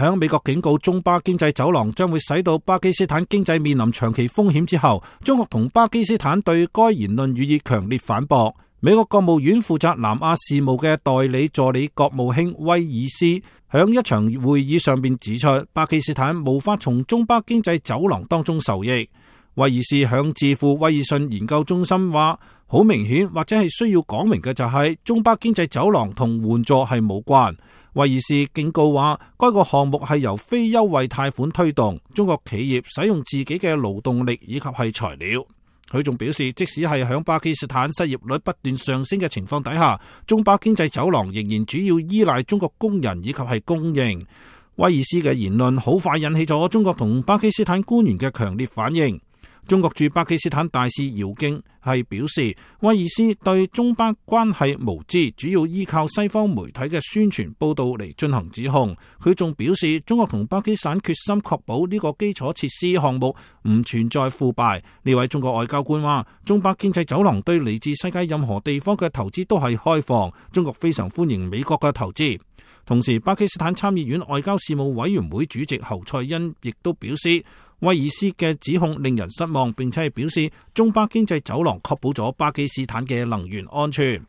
響美國警告中巴經濟走廊將會使到巴基斯坦經濟面臨長期風險之後，中國同巴基斯坦對該言論予以強烈反駁。美國國務院負責南亞事務嘅代理助理國務卿威爾斯響一場會議上邊指出，巴基斯坦無法從中巴經濟走廊當中受益。威爾斯響智庫威爾遜研究中心話，好明顯或者係需要講明嘅就係中巴經濟走廊同援助係無關。威爾斯警告話，該個項目係由非優惠貸款推動，中國企業使用自己嘅勞動力以及係材料。佢仲表示，即使係響巴基斯坦失業率不斷上升嘅情況底下，中巴經濟走廊仍然主要依賴中國工人以及係供應。威爾斯嘅言論好快引起咗中國同巴基斯坦官員嘅強烈反應。中國駐巴基斯坦大使姚京係表示，威爾斯對中巴關係無知，主要依靠西方媒體嘅宣傳報道嚟進行指控。佢仲表示，中國同巴基斯坦決心確保呢個基礎設施項目唔存在腐敗。呢位中國外交官話，中巴經濟走廊對嚟自世界任何地方嘅投資都係開放，中國非常歡迎美國嘅投資。同時，巴基斯坦參議院外交事務委員會主席侯賽因亦都表示，威爾斯嘅指控令人失望，並且係表示中巴經濟走廊確保咗巴基斯坦嘅能源安全。